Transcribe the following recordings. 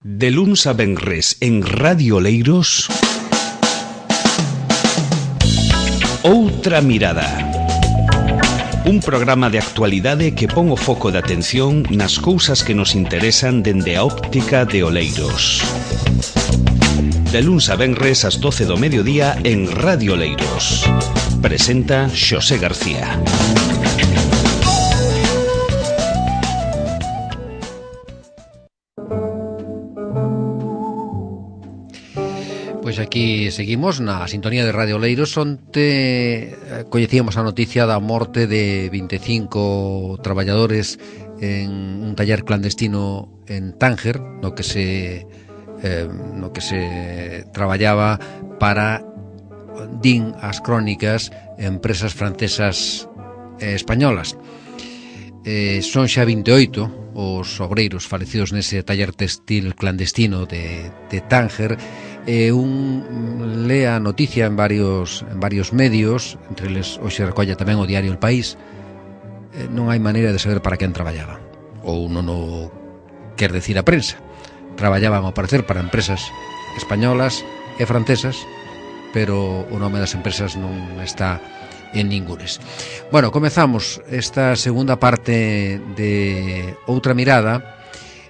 De luns a venres en Radio Oleiros, Outra Mirada. Un programa de actualidade que pon o foco de atención nas cousas que nos interesan dende a óptica de Oleiros. De luns a venres ás 12 do mediodía en Radio Oleiros. Presenta Xosé García. Pois aquí seguimos na sintonía de Radio Oleiros, onte coñecíamos a noticia da morte de 25 traballadores en un taller clandestino en Tánger, no que se traballaba para, din as crónicas, empresas francesas e españolas. Son xa 28 os obreiros falecidos nese taller textil clandestino de Tánger. Un lea a noticia en varios medios, entre eles hoxe recolla tamén o diario El País. Non hai maneira de saber para quen traballaba, ou non o quer decir a prensa. Traballaban ao parecer para empresas españolas e francesas, pero o nome das empresas non está en ningunes. Bueno, comezamos esta segunda parte de Outra Mirada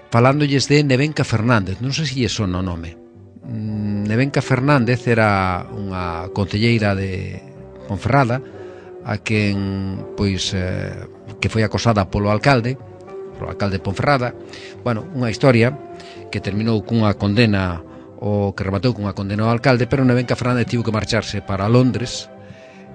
falándolles de Nevenka Fernández. Non sei se lle sona o nome. Nevenka Fernández era unha concelleira de Ponferrada, a quen que foi acosada polo alcalde de Ponferrada. Bueno, unha historia que terminou cunha condena, o que rematou cunha condena ao alcalde, pero Nevenka Fernández tivo que marcharse para Londres.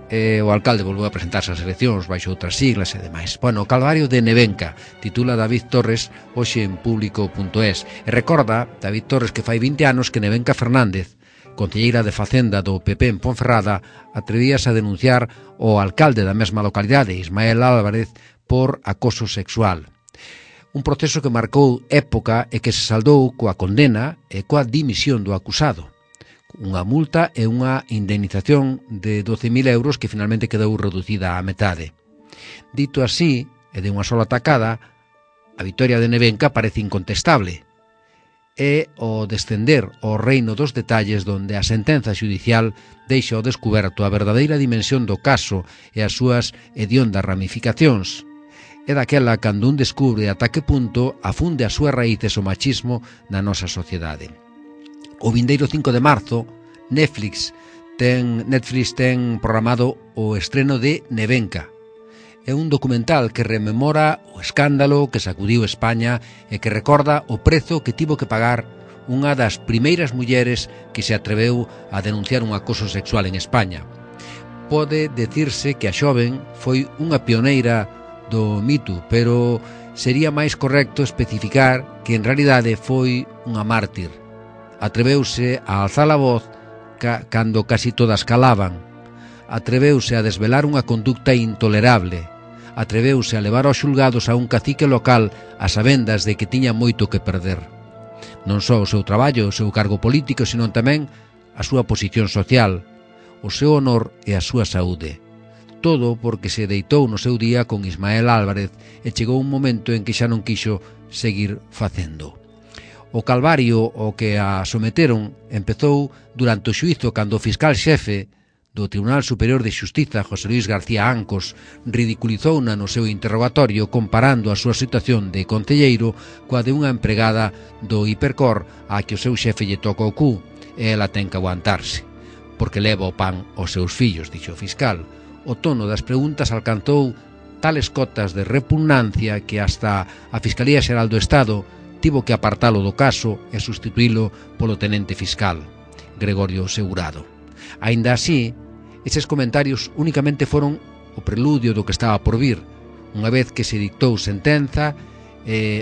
O alcalde volveu a presentarse ás eleccións baixo outras siglas e demais. Bueno, o calvario de Nevenka, titula David Torres hoxe en público.es, e recorda David Torres que fai 20 anos que Nevenka Fernández, concelleira de Facenda do PP en Ponferrada, atrevíase a denunciar o alcalde da mesma localidade, Ismael Álvarez, por acoso sexual. Un proceso que marcou época e que se saldou coa condena e coa dimisión do acusado. Unha multa e unha indemnización de 12.000 euros que finalmente quedou reducida á metade. Dito así, e de unha sola tacada, a vitoria de Nevenka parece incontestable. É o descender ao reino dos detalles donde a sentenza xudicial deixa ao descuberto a verdadeira dimensión do caso e as súas hediondas ramificacións. É daquela cando un descubre ata que punto afunde as súas raíces o machismo na nosa sociedade. O vindeiro 5 de marzo, Netflix ten programado o estreno de Nevenka. É un documental que rememora o escándalo que sacudiu España e que recorda o prezo que tivo que pagar unha das primeiras mulleres que se atreveu a denunciar un acoso sexual en España. Pode decirse que a xoven foi unha pioneira do Me Too, pero sería máis correcto especificar que en realidade foi unha mártir. Atreveuse a alzar a voz cando casi todas calaban. Atreveuse a desvelar unha conducta intolerable. Atreveuse a levar aos xulgados a un cacique local a sabendas de que tiña moito que perder. Non só o seu traballo, o seu cargo político, senón tamén a súa posición social, o seu honor e a súa saúde. Todo porque se deitou no seu día con Ismael Álvarez e chegou un momento en que xa non quixo seguir facendo. O calvario ao que a someteron empezou durante o xuízo cando o fiscal xefe do Tribunal Superior de Xustiza, José Luis García Ancos, ridiculizouna no seu interrogatorio comparando a súa situación de concelleiro coa de unha empregada do Hipercor a que o seu xefe lle toca o cu e ela ten que aguantarse, porque leva o pan aos seus fillos, dixo o fiscal. O tono das preguntas alcanzou tales cotas de repugnancia que hasta a Fiscalía Xeral do Estado tivo que apartalo do caso e sustituílo polo tenente fiscal, Gregorio Segurado. Aínda así, eses comentarios únicamente foron o preludio do que estaba por vir. Unha vez que se dictou sentenza,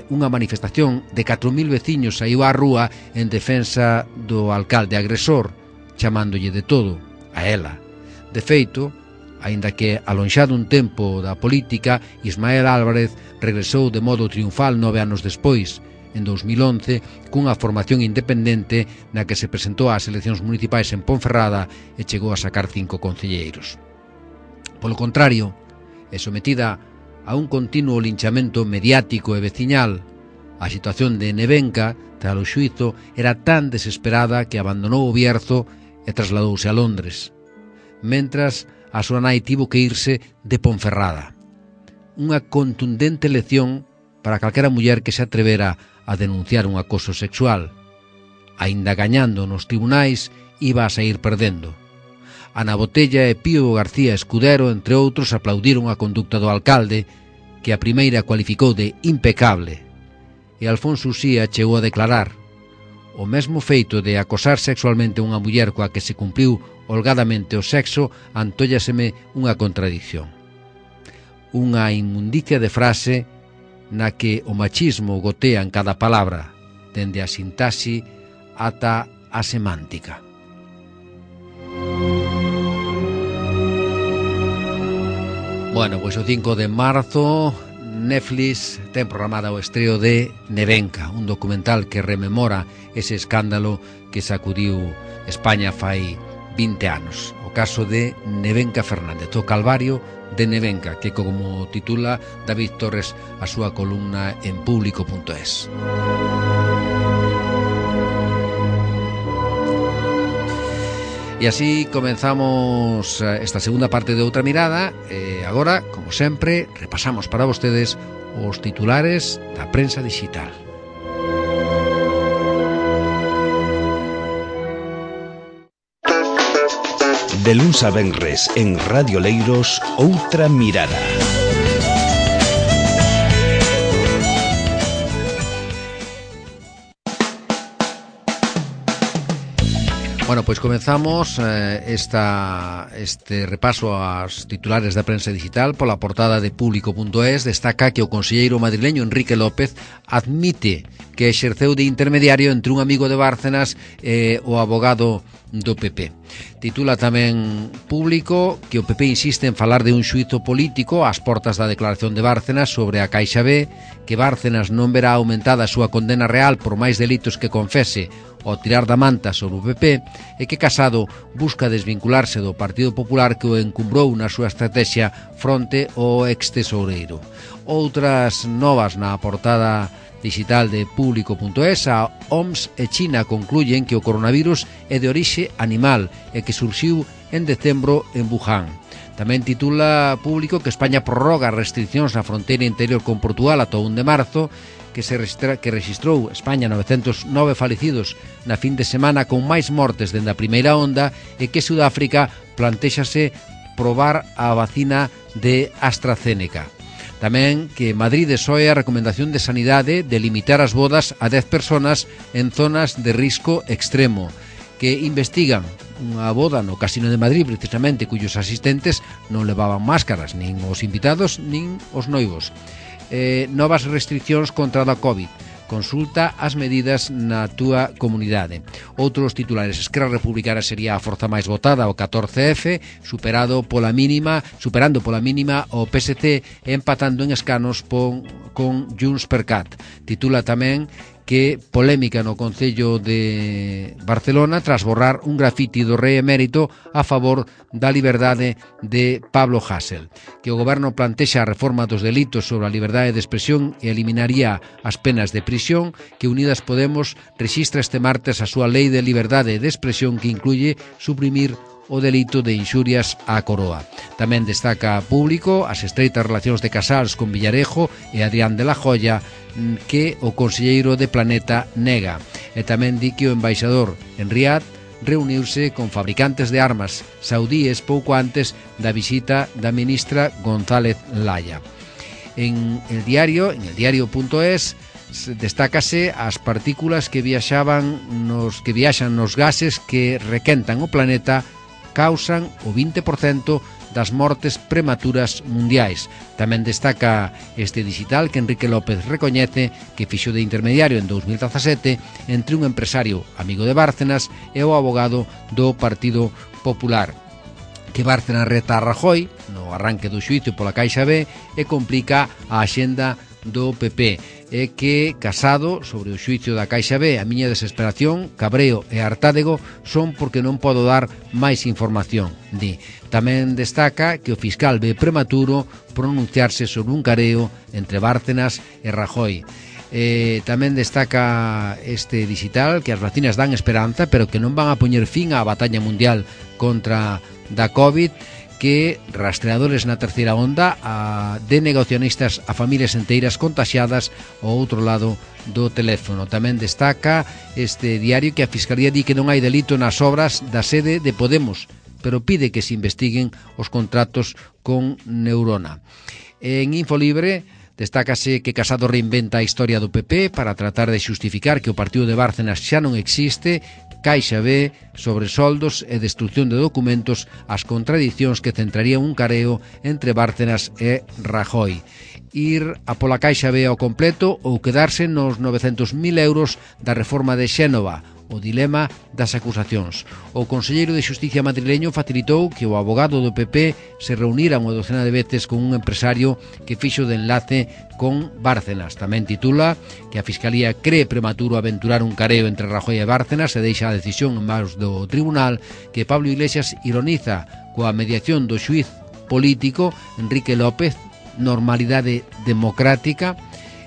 unha manifestación de 4.000 veciños saiu á rúa en defensa do alcalde agresor, chamándolle de todo a ela. De feito, aínda que alonxado un tempo da política, Ismael Álvarez regresou de modo triunfal 9 anos despois, en 2011, cunha formación independente na que se presentou ás eleccións municipais en Ponferrada e chegou a sacar 5 concelleiros. Polo contrario, é sometida a un continuo linchamento mediático e veciñal, A situación de Nevenka, tras o xuízo, era tan desesperada que abandonou o Bierzo e trasladouse a Londres, mentras a súa nai tivo que irse de Ponferrada. Unha contundente lección para calquera muller que se atrevera a denunciar un acoso sexual. Aínda gañando nos tribunais, iba a sair perdendo. Ana Botella e Pío García Escudero, entre outros, aplaudiron a conducta do alcalde, que a primeira cualificou de impecable. E Alfonso Uxía chegou a declarar: o mesmo feito de acosar sexualmente unha muller coa que se cumpriu holgadamente o sexo antóllaseme unha contradición. Unha inmundicia de frase na que o machismo gotea en cada palabra, dende a sintaxe ata a semántica. Bueno, pois o 5 de marzo Netflix ten programada o estreo de Nevenka, un documental que rememora ese escándalo que sacudiu España fai 20 anos. O caso de Nevenka Fernández, o calvario de Nevenka, que como titula David Torres a súa columna en público.es. E así comenzamos esta segunda parte de Outra Mirada e agora, como sempre, repasamos para vostedes os titulares da prensa digital. De luns a venres en Radio Leiros, Outra Mirada. Bueno, pois comenzamos este repaso aos titulares da prensa digital pola portada de público.es. Destaca que o conselleiro madrileño Enrique López admite que exerceu de intermediario entre un amigo de Bárcenas e o abogado do PP. Titula tamén Público que o PP insiste en falar de un xuízo político ás portas da declaración de Bárcenas sobre a Caixa B, que Bárcenas non verá aumentada a súa condena real por máis delitos que confese ao tirar da manta sobre o PP, e que Casado busca desvincularse do Partido Popular que o encumbrou na súa estrategia fronte ao ex-tesoureiro. Outras novas na portada digital de público.es. A OMS e China concluyen que o coronavirus é de orixe animal e que surxiu en decembro en Wuhan. Tamén titula Público que España prorroga restriccións na fronteira interior con Portugal ata o 1 de marzo, que registrou España 909 falecidos na fin de semana con máis mortes dende a primeira onda, e que Sudáfrica plantéxase probar a vacina de AstraZeneca. Tamén que Madrid desoe a recomendación de Sanidade de limitar as bodas a 10 personas en zonas de risco extremo, que investigan unha boda no Casino de Madrid precisamente cuyos asistentes non levaban máscaras, nin os invitados nin os noivos. Novas restriccións contra a COVID. Consulta as medidas na túa comunidade. Outros titulares: Esquerra Republicana sería a forza máis votada o 14F, superando pola mínima o PSC, empatando en escanos con Junts per Cat. Titula tamén que polémica no Concello de Barcelona tras borrar un grafiti do rei emérito a favor da liberdade de Pablo Hasél, que o goberno plantexa a reforma dos delitos sobre a liberdade de expresión e eliminaría as penas de prisión, que Unidas Podemos rexistra este martes a súa lei de liberdade de expresión que incluye suprimir o delito de inxurias á coroa. Tamén destaca Público as estreitas relacións de Casals con Villarejo e Adrián de la Joya, que o conselleiro de Planeta nega. E tamén di que o embaixador en Riad reuniuse con fabricantes de armas saudíes pouco antes da visita da ministra González Laya. En el diario.es destácase as partículas que viaxan nos gases que requentan o planeta causan o 20% das mortes prematuras mundiais. Tamén destaca este digital que Enrique López recoñece que fixo de intermediario en 2017 entre un empresario amigo de Bárcenas e o abogado do Partido Popular, que Bárcenas reta a Rajoy no arranque do xuízo pola Caixa B e complica a axenda do PP, e que Casado sobre o xuízo da Caixa B: a miña desesperación, cabreo e hartádego son porque non podo dar máis información, di. Tamén destaca que o fiscal ve prematuro pronunciarse sobre un careo entre Bárcenas e Rajoy. Tamén destaca este digital que as vacinas dan esperanza, pero que non van a poñer fin á batalla mundial contra da COVID, que rastreadores na terceira onda de negacionistas a familias enteiras contaxiadas ao outro lado do teléfono. Tamén destaca este diario que a Fiscalía di que non hai delito nas obras da sede de Podemos, pero pide que se investiguen os contratos con Neurona. En Infolibre destácase que Casado reinventa a historia do PP para tratar de xustificar que o partido de Bárcenas xa non existe, Caixa B, sobresoldos e destrucción de documentos, as contradicións que centrarían un careo entre Bárcenas e Rajoy. Ir a pola Caixa B ao completo ou quedarse nos 900.000 euros da reforma de Xénova, o dilema das acusacións. O conselleiro de Xusticia madrileño facilitou que o abogado do PP se reunira unha docena de veces con un empresario que fixo de enlace con Bárcenas. Tamén titula que a Fiscalía cree prematuro aventurar un careo entre Rajoy e Bárcenas e deixa a decisión en manos do tribunal, que Pablo Iglesias ironiza coa mediación do xuiz político Enrique López, normalidade democrática,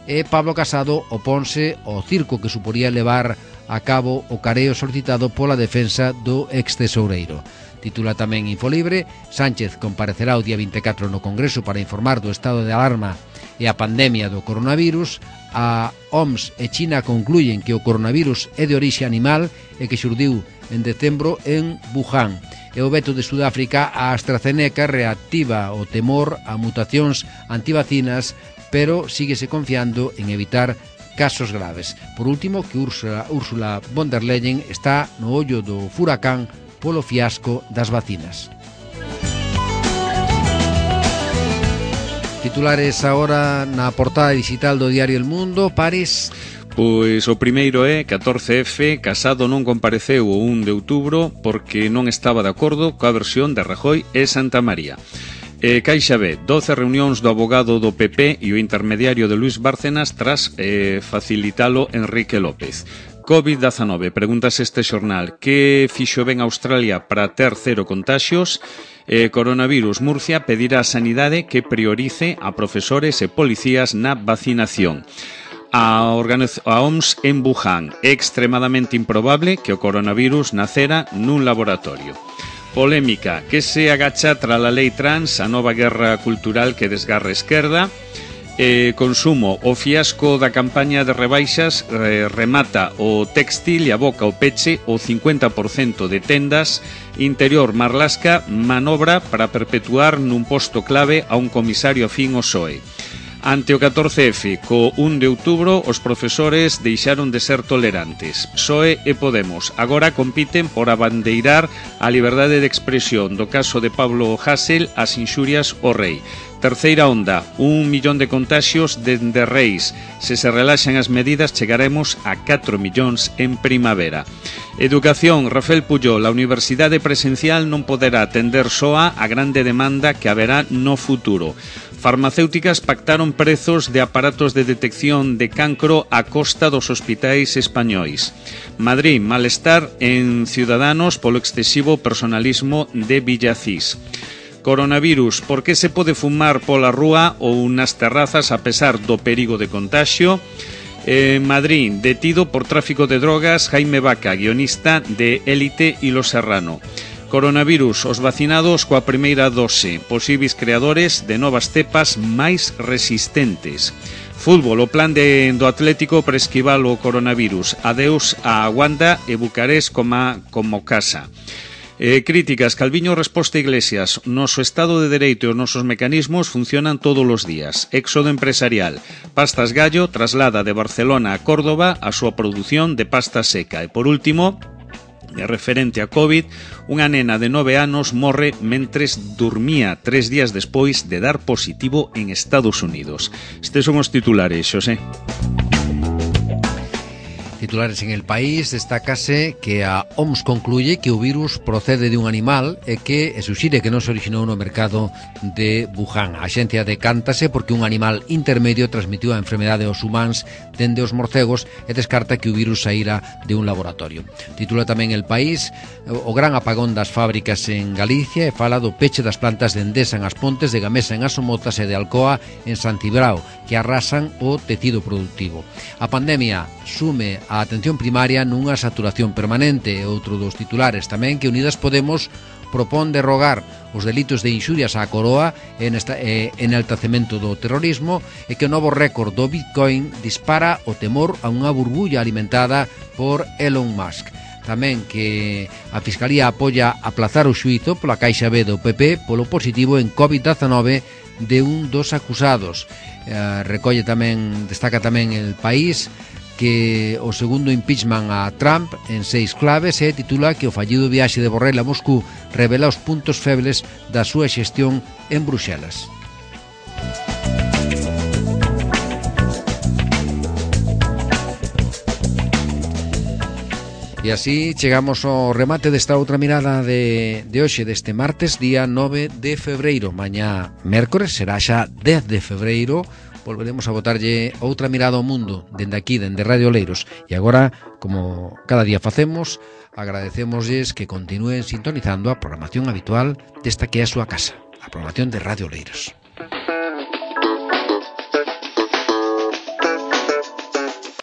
e Pablo Casado oponse ao circo que suporía levar a cabo o careo solicitado pola defensa do ex-tesoureiro. Titula tamén Infolibre: Sánchez comparecerá o día 24 no Congreso para informar do estado de alarma e a pandemia do coronavirus. A OMS e China concluyen que o coronavirus é de orixe animal e que xurdiu en decembro en Wuhan. E o veto de Sudáfrica a AstraZeneca reactiva o temor a mutacións antivacinas, pero síguese confiando en evitar casos graves. Por último, que Ursula von der Leyen está no ollo do furacán polo fiasco das vacinas. Titulares agora na portada digital do diario El Mundo. Pares. Pois o primeiro é 14F, Casado non compareceu o 1 de outubro porque non estaba de acordo coa versión de Rajoy e Santamaría. Caixa B, 12 reunións do abogado do PP e o intermediario de Luis Bárcenas tras facilitalo Enrique López. COVID-19, pregúntase este xornal, que fixo ben Australia para ter 0 contaxios? Coronavirus, Murcia pedirá a sanidade que priorice a profesores e policías na vacinación. A OMS en Wuhan, é extremadamente improbable que o coronavirus nacera nun laboratorio. Polémica, que se agacha tras a lei trans, a nova guerra cultural que desgarra a esquerda. Consumo, o fiasco da campaña de rebaixas remata o téxtil e aboca o peche o 50% de tendas. Interior, Marlaska manobra para perpetuar nun posto clave a un comisario afín ao PSOE. Ante o 14F, co 1 de outubro, os profesores deixaron de ser tolerantes. PSOE e Podemos agora compiten por abandeirar a liberdade de expresión do caso de Pablo Hasél, as inxurias ao rei. Terceira onda, 1 millón de contaxios dende Reis. Se relaxan as medidas, chegaremos a 4 millóns en primavera. Educación, Rafael Pujol, a universidade presencial non poderá atender soa a grande demanda que haberá no futuro. Farmacéuticas pactaron prezos de aparatos de detección de cancro a costa dos hospitais españois. Madrid, malestar en Ciudadanos polo excesivo personalismo de Villacís. Coronavirus, por que se pode fumar pola rúa ou nas terrazas a pesar do perigo de contaxio? Madrid, detido por tráfico de drogas Jaime Vaca, guionista de Élite e Lo Serrano. Coronavirus, os vacinados coa primeira dose, posíveis creadores de novas cepas máis resistentes. Fútbol, o plan do Atlético para esquivar o coronavirus. Adeus a Wanda e Bucarest como casa. Críticas, Calviño resposta a Iglesias. Noso Estado de Dereito e os nosos mecanismos funcionan todos os días. Éxodo empresarial. Pastas Gallo traslada de Barcelona a Córdoba a súa produción de pasta seca. E por último, referente a COVID, unha nena de 9 anos morre mentres dormía 3 días despois de dar positivo en Estados Unidos. Estes son os titulares, Xosé. Titulares en El País, destácase que a OMS concluye que o virus procede de un animal e que suxire que non se orixinou no mercado de Wuhan. A xencia decántase porque un animal intermedio transmitiu a enfermedade aos humanos dende os morcegos e descarta que o virus saíra de un laboratorio. Titula tamén El País o gran apagón das fábricas en Galicia e fala do peche das plantas de Endesa en As Pontes, de Gamesa en As Somozas e de Alcoa en Santibrao, que arrasan o tecido productivo. A pandemia sume a atención primaria nunha saturación permanente. Outro dos titulares tamén que Unidas Podemos propón derrogar os delitos de inxurias á coroa e enaltecemento do terrorismo e que o novo récord do Bitcoin dispara o temor a unha burbulla alimentada por Elon Musk. Tamén que a Fiscalía apoia aplazar o xuízo pola Caixa B do PP polo positivo en COVID-19 de un dos acusados. Destaca tamén El País que o segundo impeachment a Trump en 6 claves e titula que o fallido viaxe de Borrell a Moscú revela os puntos febles da súa xestión en Bruxelas. E así chegamos ao remate desta outra mirada de hoxe, deste martes, día 9 de febreiro. Mañá, mércores, será xa 10 de febreiro. Volveremos a botarlle outra mirada ao mundo dende aquí, dende Radio Oleiros. E agora, como cada día facemos, agradecémoslles que continúen sintonizando a programación habitual desta que é a súa casa, a programación de Radio Oleiros.